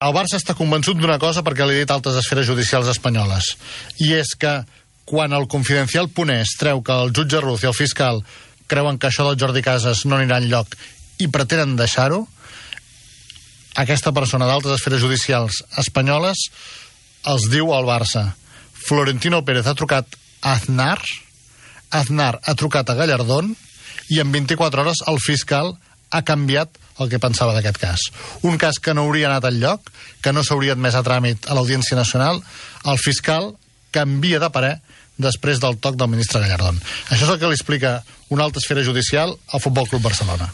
El Barça està convençut d'una cosa perquè li he dit altres esferes judicials espanyoles, i és que quan el Confidencial.es treu que el jutge Ruz i el fiscal creuen que això del Jordi Casas no anirà enlloc i pretenen deixar-ho, aquesta persona d'altres esferes judicials espanyoles els diu al Barça: Florentino Pérez ha trucat a Aznar ha trucat a Gallardón, i en 24 hores el fiscal ha canviat el que pensava d'aquest cas. Un cas que no hauria anat enlloc, que no s'hauria admès a tràmit a l'Audiència Nacional, el fiscal canvia de parer després del toc del ministre Gallardón. Això és el que li explica una altra esfera judicial al Futbol Club Barcelona.